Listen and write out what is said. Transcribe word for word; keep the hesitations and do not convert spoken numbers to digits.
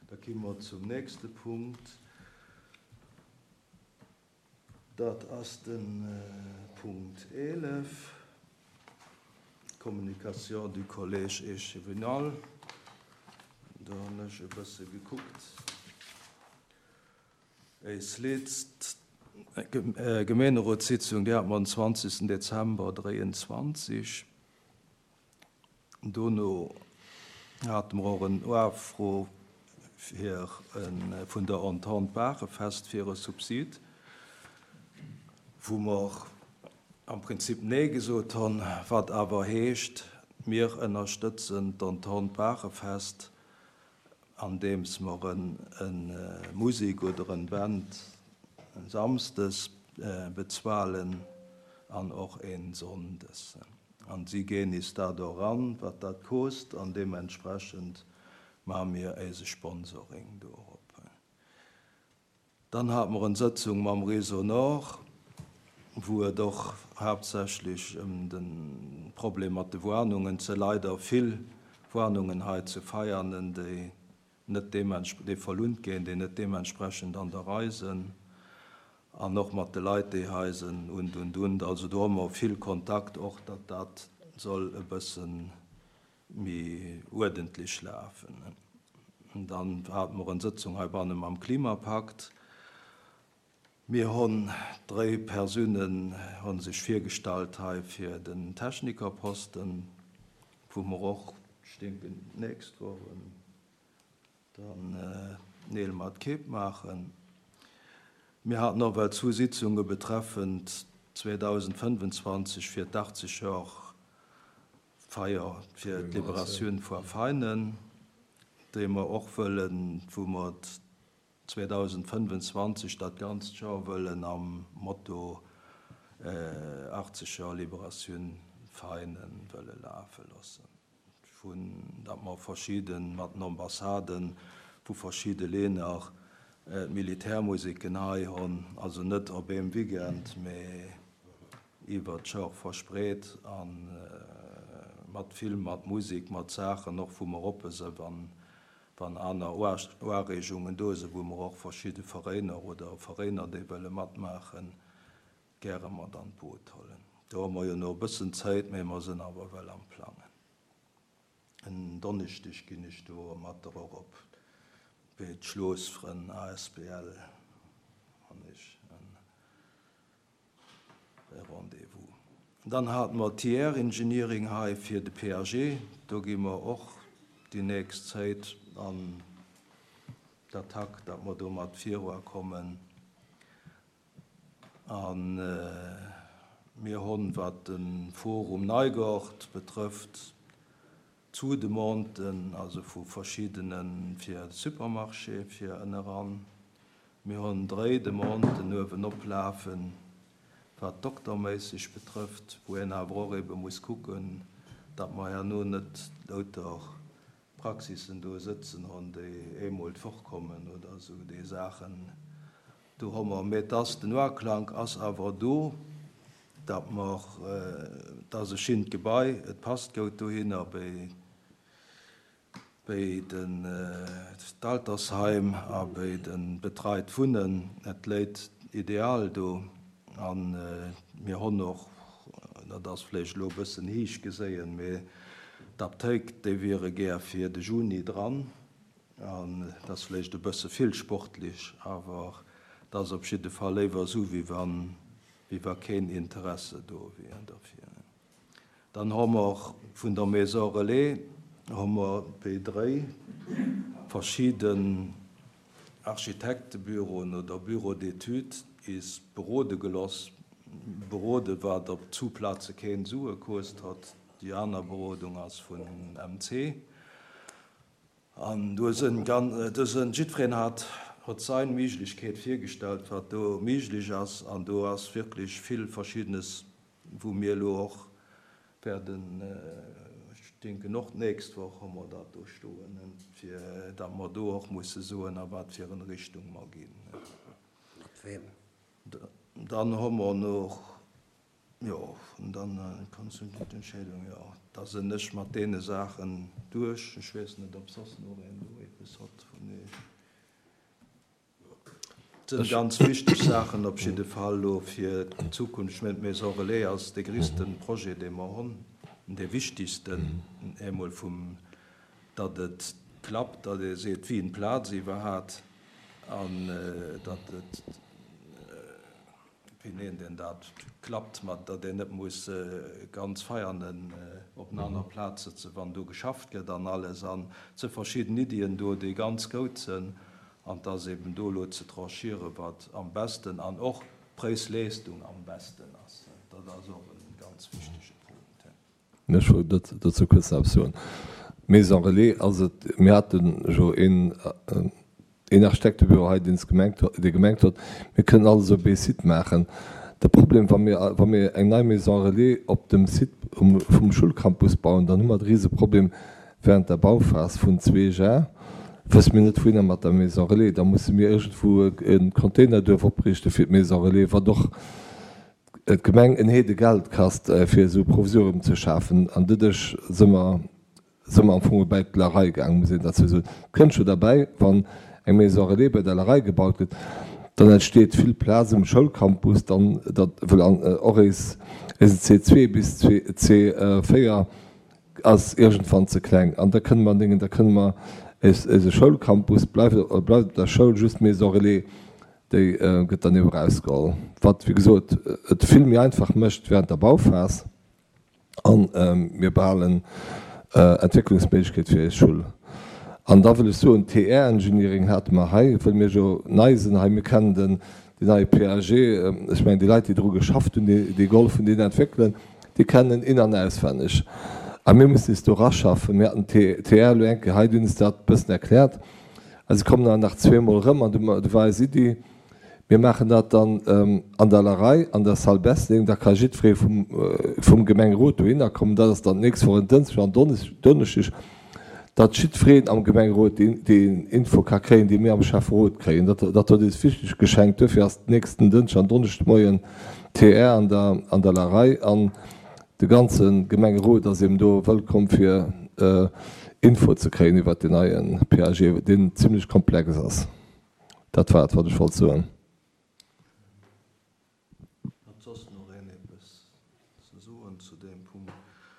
Da ki mer zum nächste Punkt. Dat ass de Punkt eelef, Communication du Collège échevinal. Do hunn ech e bësse gekuckt. Eis letzt Gemeenerotssitzung, déi hat mer den zwanzegsten Dezember dräianzwanzeg. Dono hate mer och en Ufro fir vun der Entente Baachefest fir e Subsid, wou mer am Prinzip Nee gesot hunn, wat awer heescht, mir ënnerstëtzen d'Entente Baachefest, andeems mer en Musik oder en Band samsdes bezuelen an och een sonndes. An si ginn is dat och ran, wat dat kost, an deementsprechend maache mir eise Sponsoring dorop. Dann hate mer en Sëtzung mam Réseau Nord, wou et och haaptsächlech ëm de Problem mat de Warnungen, ze leider vill Warnungen hei zu Veianen, déi net déi verlunt ginn, déi net deementsprechend an der Rei sinn, an och mat de Leit, déi hei sinn und und und. Also do hu mer vill Kontakt och, datt dat soll e bëssen méi uerdentlech lafen. Dann hate mer en Sëtzung heibanne mam Klimapakt. Mir hunn dräi Persounen hu sech virgestallt hei fir den Technikerposten, wou mer och, ech denken, d'nächst Woch dann Neel mat Kéip maachen. Mir haten och well zwou Sitzunge betreffend zweedausendfënfenzwanzeg fir d'achtzeg Joer Feier fir d'Liberatioun vu Veinen, déi mer och wëllen, wou mer zweedausendfënfenzwanzeg dat ganzt Joer wëllen am Motto achtzeg Joer Liberatioun Veinen wëlle lafe loossen. Vun datt mer verschidde mat den Ambassaden vu verschidde Länner d'Militärmusiken hei hunn, also net op eem Weekend, mee iwwer d'Joer verspreet a mat Film, mat Musik, mat Saachen och, wou mer oppe sinn, wann wann aner Ureegungen do sinn, wou mer och verschidde Veräiner oder Veräiner, déi wëlle matmaachen, gäre mat an d'Boot huelen. Do hu mer jo nach e bëssen Zäit, mee mer sinn awer well am Plangen. En Donneschdeg ginn ech do mat der och op bei d'Schloosfrënn A S B L han ech en Rendez-vous. Dann hate mer T R Engineering hei fir de P A G. Do gi mer och déi nächst Zäit an d'Attack, datt mer do mat virukommen. An mir hunn, wat de Forum Neigort betrëfft, zwou Demanden, also vu verschiddene fir de Supermarché fir ënneran. Mir hunn dräi Demanden uewen oplafen, wat dokterméisseg betrëfft, wou een awer och ebe muss kucken, datt mer herno net lauter Praxissen do sëtzen hunn, déi eemol d'Woch kommen oder esou déi Saachen. Do hu mer, mee et ass, den Uaklank ass awer do, datt mer, et ass e schinnt Gebai, et passt goud dohinner béi béi den d'Altersheim a béi de betreit Wunnen. Et léit ideal do a mir hunn och, dat ass vläicht elo e bëssen héich geséien, mee d'Aptéik, déi wiere gär fir de Juni dran. An dat ass vläicht e bësse vill sportlech, awer et ass op jidde Fall léiwer esou, wéi wann, wéi wa keen Interesse do wier derfir. Dann hu mer vun der Maison Relais hu mer béi dréi verschidden Architektebüroen oder Bureaux d'études is berode geloss, berode wat op zwou Plaze keen Sue kost hat. Déi aner Berodung ass vun M C. An do sinn, do sinn, jiddwereen hat huet sein Méiglechkeet virgestallt, wat do méiglech ass, an do ass wierklech vill Verschiddenes, wou mir elo och werden, ech denken och d'nächst Woch hu mer dat do stoen, fir datt mer do och musse soen, a wat fir eng Richtung mer ginn. Mat wem? Dann hu mer nach, jo, an dann Entscheedung, jo, da sinn ech mat deene Saachen duerch. Ech weess net, ob soss nach een do eppes huet vun Iech. Sinn ganz wichteg Saachen op jidde Fall elo fir d'Zukunft. Ech mengen, d'Maison Relais ass dee gréisste Projet, dee mer hunn, dee wichtigsten, eemol vum, datt et klappt, datt ee seet, wéi eng Plaz iwwerhat an datt et, wéi nennt een dat, klappt, mat datt een net muss ganz Veianen op enger aner Plaz sëtzen, wann do geschafft gëtt an alles. An et si verschidden Iddien do, déi ganz goud sinn. An et ass eben do elo ze tranchieren, wat am besten an och Präis-Leistung am besten ass. Dat ass och e ganz wichtege Punkt. Ech wollt dozou kuerz nach eppes soen. Maison Relais ass et, mir hate jo een, een Architektebüro hei, deen gemengt, dee gemengt huet, mir kënnen alles op ee Site maachen. De Problem, wa mir, wa mir eng nei Maison Relais op dem Site um, vum Schoulcampus bauen, dann hu mer de Riseproblem während der Bauphas vun zwee Jar, wësse mir net wouhinner mat der Maison Relais. Da musse mir iergendwou e Containerduerf opriichte fir d'Maison Relais, wat och d'Gemeng en Heede Geld kascht, fir esou e Provisorium ze schafen. An doduerch si mer, si mer am Fong bei d'Larei gaangen, muss een dozou soen. Kënnt scho derbäi, wann eng Maison Relais bei der Larei gebaut gëtt, dann entsteet vill Plaz um Schoulcampus, dann dat wëll an och eis eisen C zwee bis C véier ass iergendwann ze kleng. An da kënne mer dingen, da kënne mer eis eise Schoulcampus bleift bleift op der Schoul, just d'Maison Relais, déi gëtt dann eben erausgeholl. Wat wéi gesot et vill méi einfach mécht während der Bauphas an mir behalen Entwécklungsméiglechkeet fir eis Schoul. An da wëll ech soen, T R Engineering hate mer hei, wëll mir jo nei sinn hei, mir kennen den deen neie P A G, ech mengen déi Leit, déi dru geschafft hunn, déi déi gehollef hunn deen entwéckelen, déi kennen en in an auswenneg. A mir mussen eis do eraschaffen. Mir haten T R elo eng Kéier hei, déi hunn eis dat e bëssen erkläert. A se kommen awer nach zweemol erëm an du du war eis Iddi, mir maachen dat dann an der Larei, an der Salle Bessling, da ka jiddweree vum vum Gemengerot dohinner kommen. Dat ass dann d'nächst Woch en Dënschdeg an Donneschdeg, datt jiddwereen am Gemengerot deen deen Info ka kréien, déi mir am Schäfferot kréien. Dat dat huet eis wichteg geschenkt. Duerfir ass d'nächsten Dënschdeg an Donneschdegmoien T R an der an der Larei an de ganze Gemengerot ass eben do wëllkomm fir Info ze kréien iwwert deen neie P A G, deen zimlech komplex ass. Dat war et, wat ech wollt soen.